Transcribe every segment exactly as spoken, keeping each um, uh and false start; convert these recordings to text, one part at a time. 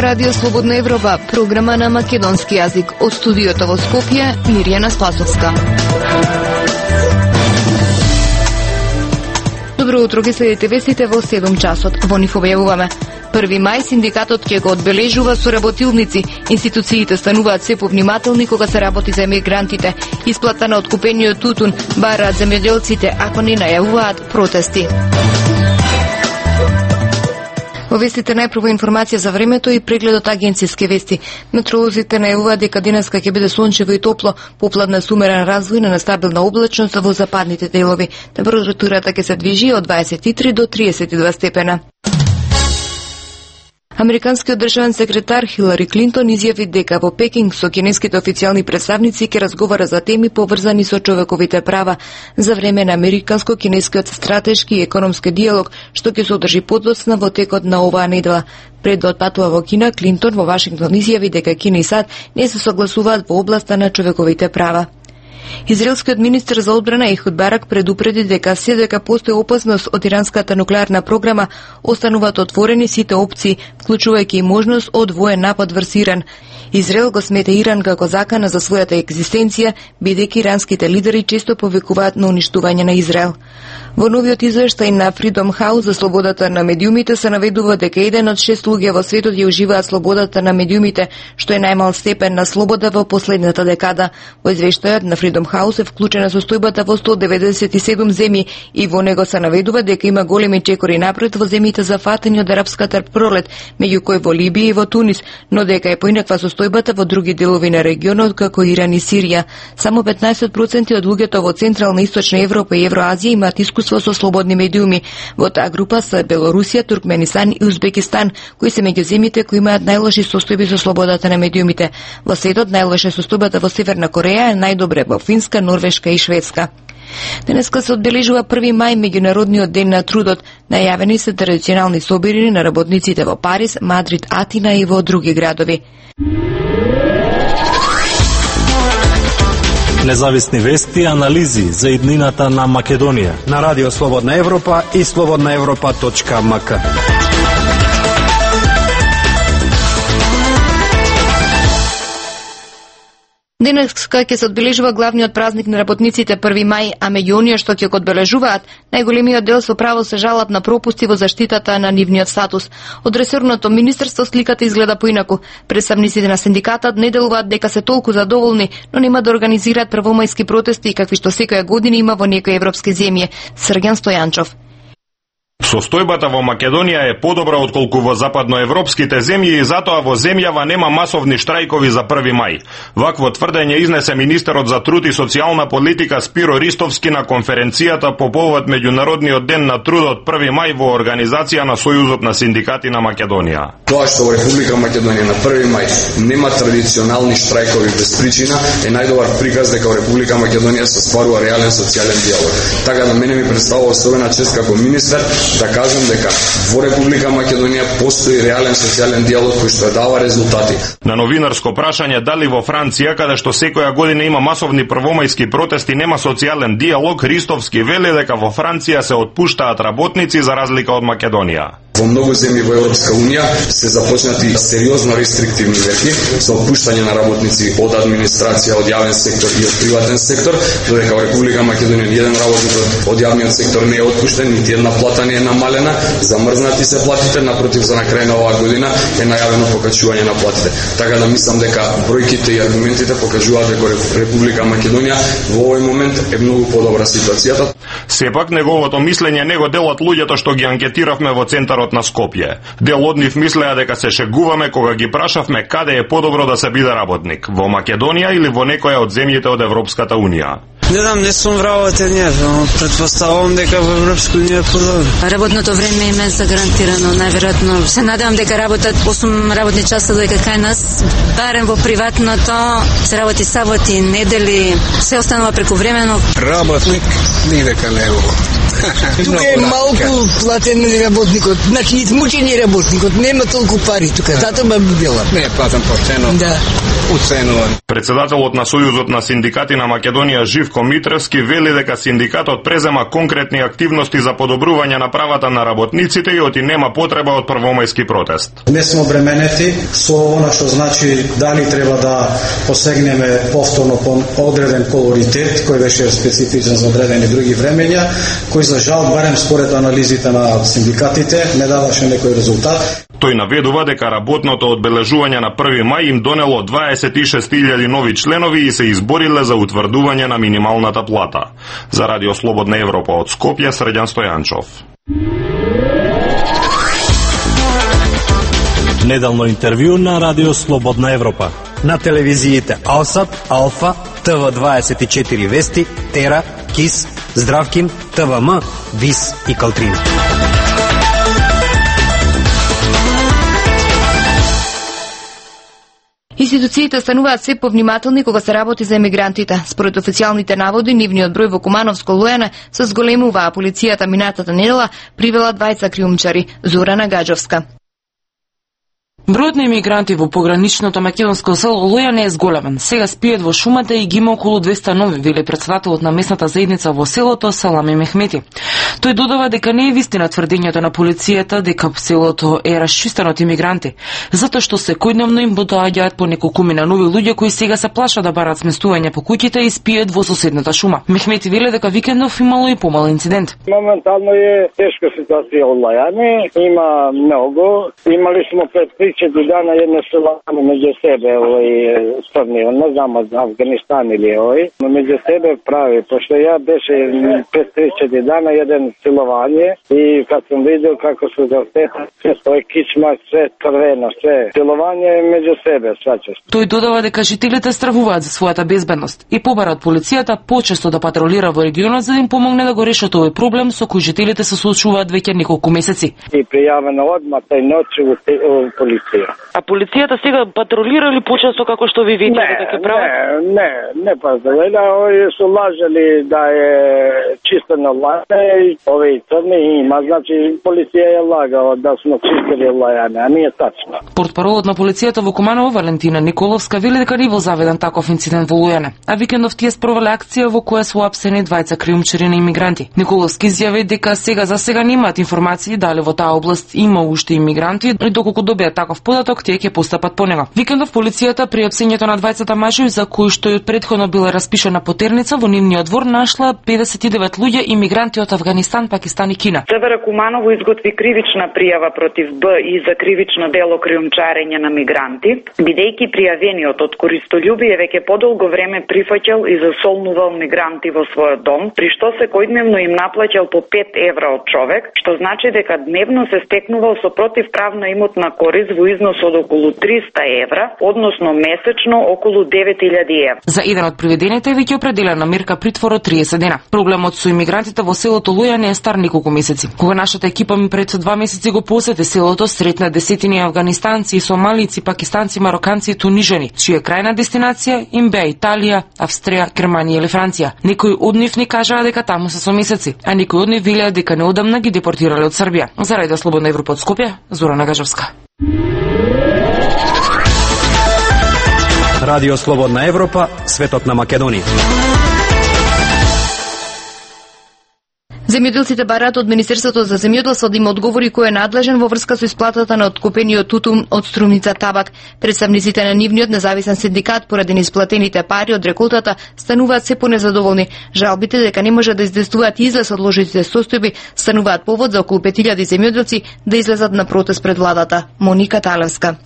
Радио Слободна Европа, програма на македонски јазик. Од студиото во Скопје, Мирјана Спасовска. Добро утро, ги следите вестите во седум часот. Во нив објавуваме: први мај синдикатот ќе го одбележува со работилници. Институциите стануваат се повнимателни кога се работи за емигрантите. Исплата на откупениот тутун бараат земјоделците ако не најавуваат протести. Во вестите најпрво информација за времето и прегледот агенцијски вести. Метеоролозите најавуваат дека денеска ќе биде сончево и топло, попладна с умерен развој на нестабилна облачност во западните делови. Температурата ќе се движи од дваесет и три до триесет и два степена. Американскиот државен секретар Хилари Клинтон изјави дека во Пекинг со кинеските официјални представници ќе разговара за теми поврзани со човековите права за време на американско-кинескиот стратешки и економски диалог, што ќе се одржи подоцна во текот на оваа недела. Пред да отпатува во Кина, Клинтон во Вашингтон изјави дека Кина и САД не се согласуваат во областа на човековите права. Израелскиот министер за одбрана Ехуд Барак предупреди дека се дека постои опасност од иранската нуклеарна програма, остануваат отворени сите опции, вклучувајќи и можност од воен напад врз Иран. Израел го смета Иран како закана за својата екзистенција, бидејќи иранските лидери често повикуваат на уништување на Израел. Во новиот извештај на Freedom House за слободата на медиумите се наведува дека еден од шест луѓе во светот ја уживаат слободата на медиумите, што е најмал степен на слобода во последната декада. Во извештајот на Freedom House е вклучена состојбата во сто деветдесет и седум земји и во него се наведува дека има големи чекори напред во земјите зафатени од арапската пролет, меѓу кои во Либија и во Тунис, но дека е поинаква состојбата во други делови на регионот како Иран и Сирија. Само петнаесет проценти од луѓето во Централна и Источна Европа и Евроазија имаат искуство со слободни медиуми. Во таа група се Белорусија, Туркменистан и Узбекистан, кои се меѓу земјите кои имаат најлоши состојби со слободата на медиумите. Во светот најлоша состојбата во Северна Кореја е најдобре во Финска, Норвешка и Шведска. Денеска се одбележува први мај, меѓународниот ден на трудот. Најавени се традиционални собирања на работниците во Париз, Мадрид, Атина и во други градови. Независни вести и анализи за иднината на Македонија на Радио Слободна Европа и слободна европа точка ем ка. Денеска ќе се одбележува главниот празник на работниците први мај, а меѓу оние што ќе го одбележуваат, најголемиот дел со право се жалат на пропусти во заштитата на нивниот статус. Од ресорното министерство сликата изгледа поинаку. Представниците на синдикатот не делуваат дека се толку задоволни, но нема да организираат првомајски протести какви што секоја година има во некои европски земји. Срѓан Стојанчов. Состојбата во Македонија е подобра отколку во западноевропските земји и затоа во земјава нема масовни штрајкови за први мај. Вакво тврдење изнесе министерот за труд и социјална политика Спиро Ристовски на конференцијата по повод меѓународниот ден на трудот први мај во организација на Сојузот на синдикати на Македонија. Тоа што во Република Македонија на први мај нема традиционални штрајкови без причина е најдобар приказ дека во Република Македонија се стварува реален социјален диалог. Така да мене ми представува особена чест како министер да кажам дека во Република Македонија постои реален социјален диалог кој што дава резултати. На новинарско прашање дали во Франција, каде што секоја година има масовни првомајски протести, нема социјален диалог, Ристовски вели дека во Франција се отпуштаат работници за разлика од Македонија. Во многу земји во Европска унија се започнати сериозно рестриктивни мерки за отпуштање на работници од администрација, од јавен сектор и од приватен сектор, додека во Република Македонија ниеден работник од јавниот сектор не е отпуштен, нити една плата не е намалена, замрзнати се платите, напротив за на крај на оваа година е најавено покачување на платите. Така да мислам дека бројките и аргументите покажуваат дека Република Македонија во овој момент е многу подобра ситуацијата. Сепак неговото мислење не го делат луѓето што ги анкетиравме во центарот на Скопје. Дел од нив мислеа дека се шегуваме кога ги прашавме каде е подобро да се биде работник, во Македонија или во некоја од земјите од Европската унија. Не знам, не сум вработен јас, но претпоставувам дека во Европска унија е подобро. Работното време им е загарантирано, најверојатно. Се надевам дека работат осум работни часа додека кај нас, барем во приватното, се работи саботи, недели, се останува прековремено. Работник никако не е. Тука е малку платен работникот, значи измучени работникот, нема толку пари тука, затоа ме била. Не е платен почено. Да. Уценуван. Председателот на Сојузот на синдикати на Македонија Живко Веljко Митревски вели дека синдикатот презема конкретни активности за подобрување на правата на работниците и оти нема потреба од првомајски протест. Не сме обременети со она што значи дали треба да посегнеме повторно по одреден колоритет кој беше специфичен за одредени други времења, кој за жал барем според анализите на синдикатите не даваше некој резултат. Тој наведува дека работното одбележување на први мај им донело дваесет и шест илјади нови членови и се избориле за утврдување на минималната плата. За Радио Слободна Европа од Скопје, Срđan Стојанчов. Неделно интервју на Радио Слободна Европа. На телевизиите Алсат, Алфа, Т В дваесет и четири Вести, Тера, Кис, Здравкин, Т В М, Вис и Калтрин. Институциите стануваат се повнимателни кога се работи за емигрантите. Според официјалните наводи, нивниот број во Кумановско Луене се зголемува, а полицијата минатата недела привела двајца криумчари. Зорана Гаджовска. Бројот на емигранти во пограничното македонско село Лујане е зголемен. Сега спијат во шумата и ги има околу двеста нови, вели претседателот на местната заедница во селото Салами Мехмети. Тој додава дека не е вистина тврдењето на полицијата дека селото е расчистено од емигранти, затоа што секојдневно им доаѓаат по неколкумина нови луѓе кои сега се плашат да барат сместување по куќите и спијат во соседната шума. Мехмети вели дека викендов имало и помал инцидент. Моментално е тешка ситуација од Лајане, има многу. Имали сме пред три четири дана една селана меѓу себе, овој црни, не знам од Афганистан или овој, но меѓу себе прави, пошто ја беше пред три четири дана еден силовање и кога сум видел како се завтеха, тој кичма, се крвено, се силовање меѓу себе, сваќаш. Тој додава дека жителите стравуваат за својата безбедност и побарат полицијата почесто да патролира во регионот за да им помогне да го решат овој проблем со кој жителите се соочуваат веќе неколку месеци. И пријавено одма тај ноќ во полиција. А полицијата сега патролира ли почесто како што ви видите дека ќе прават? Не, не, не патролира, овие се лажали да е чистено Лајане и овие црни има, значи полиција е лагала да сме чистили Лајане, а не е тачно. Портпаролот на полицијата во Куманово Валентина Николовска вели дека не бил заведен таков инцидент во Лујане, а викендов тие спровеле акција во која се уапсени двајца криумчари на имигранти. Николовски изјави дека сега за сега немаат информации дали во таа област има уште имигранти и доколку добијат таков податок тие ќе постапат по него. Викендов полицијата при апсењето на двајцата мажи за кои што и од претходно била распишана потерница во нивниот двор нашла педесет и девет луѓе имигранти од Афганистан, Пакистан и Кина. СВР Куманово изготви кривична пријава против Б и за кривично дело криумчарење на мигранти, бидејќи пријавениот од користолюбие веќе подолго време прифаќал и засолнувал мигранти во својот дом, при што секојдневно им наплаќал по пет евра од човек, што значи дека дневно се стекнувал со противправна имотна корист во износ од околу триста евра, односно месечно околу девет илјади евра. За еден од приведените веќе определена мерка притвор од триесет дена. Проблемот со имигрантите во селото Лујане е стар неколку месеци. Кога нашата екипа ми пред два месеци го посети селото, сретна десетини афганистанци, сомалици, пакистанци, мароканци и тунижани, чија крајна дестинација им беа Италија, Австрија, Германија или Франција. Некои од нив ни кажаа дека таму се со месеци, а некои од нив велеа дека неодамна ги депортирале од Србија. За Радио Слободна Европа од Скопје, Зорана Гаджовска. Радио Слободна Европа, светот на Македонија. Земјоделците бараат од Министерството за земјоделство да им одговори кој е надлежен во врска со исплатата на откупениот тутун од Струмица табак. Представниците на нивниот независен синдикат поради неисплатените пари од реколтата стануваат се понезадоволни. Жалбите дека не можат да издействуваат излез од ложитите состојби стануваат повод за околу пет илјади земјоделци да излезат на протест пред владата. Моника Талевска.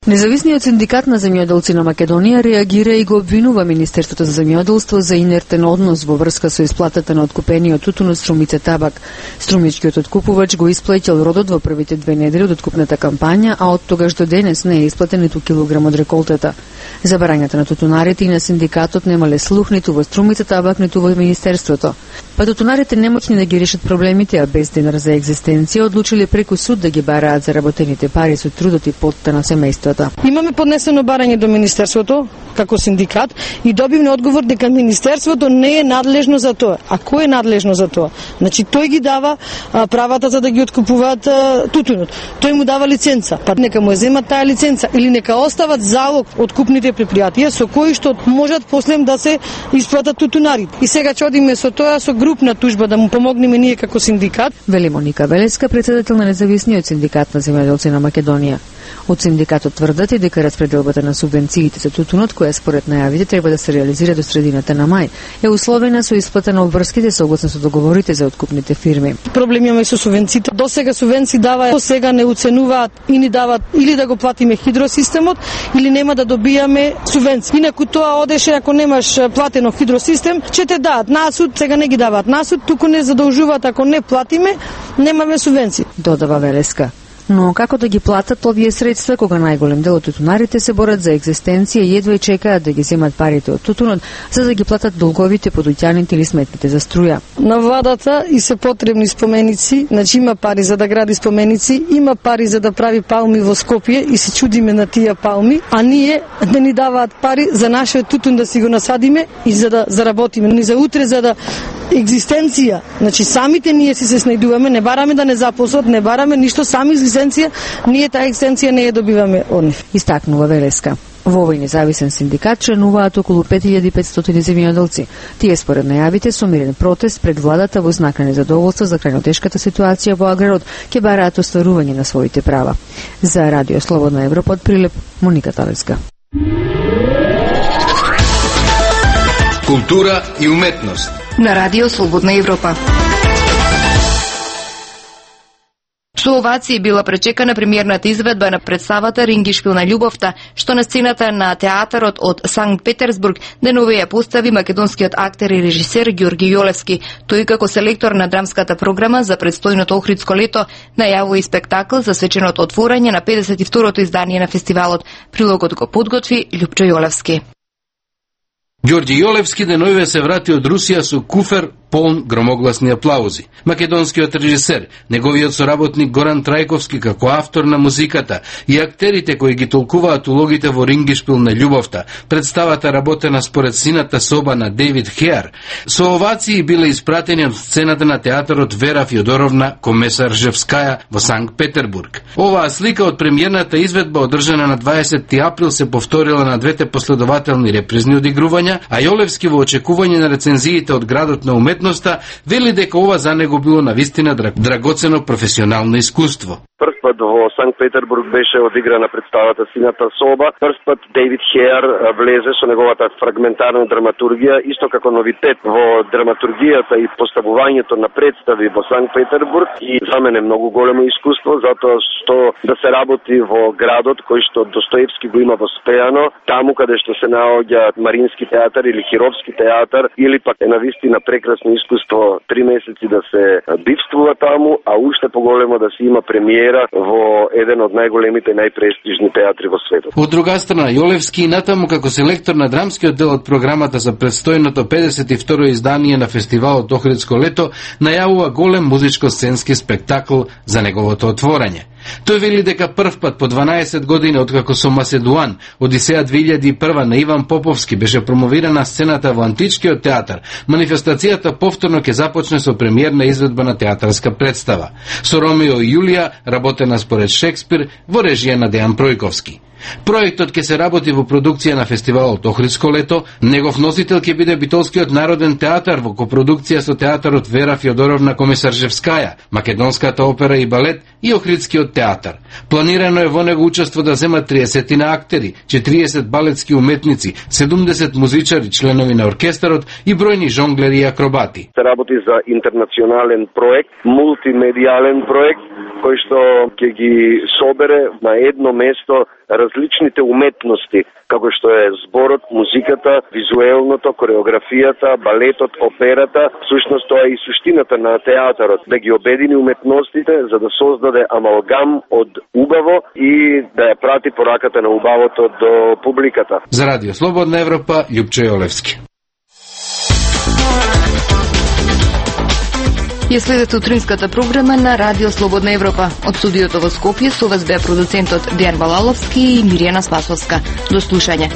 Независниот синдикат на земјоделци на Македонија реагира и го обвинува Министерството за земјоделство за инертен однос во врска со исплатата на откупениот тутун од Струмица табак. Струмичкиот откупувач го исплатил родот во првите две недели од откупната кампања, а од тогаш до денес не е исплатен ниту килограм од реколтата. Забарањата на тутунарите и на синдикатот немале слух ниту во Струмица табак, ниту во Министерството. Па тутунарите немоќни да ги решат проблемите, а без денар за екзистенција, одлучиле преку суд да ги бараат заработените пари со трудот и потта на семејствата. Имаме поднесено барање до Министерството како синдикат и добивме одговор дека Министерството не е надлежно за тоа. А кој е надлежно за тоа? Значи тој ги дава а, правата за да ги откупуваат а, тутунот. Тој му дава лиценца. Па нека му земат таа лиценца или нека остават залог откупните предпријатија со кои што можат после да се исплатат тутунарите. И сега ќе одиме со тоа со групна тужба да му помогнеме ние како синдикат. Вели Моника Велеска, председател на независниот синдикат на земјоделци на Македонија. Од синдикатот тврдат и дека распределбата на субвенциите за тутунот, која според најавите треба да се реализира до средината на мај, е условена со исплата на обврските согласно со договорите за откупните фирми. Проблем имаме со субвенциите. До сега субвенции дава, до сега не оценуваат и ни дават или да го платиме хидросистемот или нема да добијаме субвенции. Инаку тоа одеше ако немаш платено хидросистем, ќе те дадат насуд, сега не ги даваат насуд, туку не задолжуваат ако не платиме, немаме субвенции. Додава Велеска. Но како да ги платат овие средства кога најголем дел од тутунарите се борат за екзистенција и едва и чекаат да ги земат парите од тутунот за да ги платат долговите по дуќаните или сметните за струја. На владата и се потребни споменици, значи има пари за да гради споменици, има пари за да прави палми во Скопје и се чудиме на тие палми, а ние не ни даваат пари за нашиот тутун да си го насадиме и за да заработиме, ни за утре за да екзистенција. Значи самите ние си се снајдуваме, не бараме да не запослат, не бараме ништо, сами екзистенција, ние таа екзистенција не ја добиваме од нив. Истакнува Велеска. Во овој независен синдикат членуваат околу пет илјади и петстотини земјоделци. Тие според најавите со мирен протест пред владата во знак на незадоволство за крајно тешката ситуација во аграрот ќе бараат остварување на своите права. За Радио Слободна Европа од Прилеп, Моника Талеска. Култура и уметност на Радио Слободна Европа. Со овации била пречекана премиерната изведба на представата Рингишпил на љубовта, што на сцената на театарот од Санкт Петерсбург денове ја постави македонскиот актер и режисер Ѓорги Јолевски. Тој како селектор на драмската програма за предстојното Охридско лето најавува и спектакл за свеченото отворање на педесет и второто издание на фестивалот. Прилогот го подготви Љупчо Јолевски. Ѓорѓи Јолевски денове се врати од Русија со куфер полн громогласни аплаузи. Македонскиот режисер, неговиот соработник Горан Трајковски како автор на музиката и актерите кои ги толкуваат улогите во Рингишпил на љубовта, представата работена според сината соба на Дейвид Хеар, со овации биле испратени од сцената на театарот Вера Фјодоровна Комесаржевскаја во Санкт Петербург. Оваа слика од премиерната изведба одржана на дваесети април се повторила на двете последователни репризни одигрувања, а Јолевски во очекување на рецензиите од градот на уметноста вели дека ова за него било навистина драгоцено професионално искуство. Прв пат во Санкт Петербург беше одиграна представата Сината соба. Прв пат Дейвид Хеар влезе со неговата фрагментарна драматургија, исто како новитет во драматургијата и поставувањето на представи во Санкт Петербург. И за мене многу големо искуство, затоа што да се работи во градот кој што Достоевски го има воспеано, таму каде што се наоѓа Марински театар или Хировски театар, или пак е навистина прекрасно искуство три месеци да се бивствува таму, а уште поголемо да се има премиера во еден од најголемите и најпрестижни театри во светот. Од друга страна, Јолевски и натаму како селектор на драмскиот дел од програмата за предстојното педесет и второ издание на фестивалот Охридско лето најавува голем музичко-сценски спектакл за неговото отворање. Тој вели дека прв пат по дванаесет години откако со Маседуан, Одисеја две илјади и прва на Иван Поповски беше промовирана сцената во Античкиот театар, манифестацијата повторно ќе започне со премиерна изведба на театарска представа. Со Ромео и Јулија, работена според Шекспир, во режија на Дејан Пројковски. Проектот ќе се работи во продукција на фестивалот Охридско лето, негов носител ќе биде Битолскиот народен театар во копродукција со театарот Вера Фјодоровна Комесаржевскаја, Македонската опера и балет и Охридскиот театар. Планирано е во него учество да земат триесет актери, четириесет балетски уметници, седумдесет музичари, членови на оркестарот и бројни жонглери и акробати. Се работи за интернационален проект, мултимедијален проект, кој што ќе ги собере на едно место различните уметности, како што е зборот, музиката, визуелното, кореографијата, балетот, операта. Всушност тоа е и суштината на театарот, да ги обедини уметностите за да создаде амалгам од убаво и да ја прати пораката на убавото до публиката. За Радио Слободна Европа, Љупчо Јолевски. Ја следете утринската програма на Радио Слободна Европа. Од студиото во Скопје со вас беа продуцентот Дејан Балаловски и Миријана Спасовска. До слушање.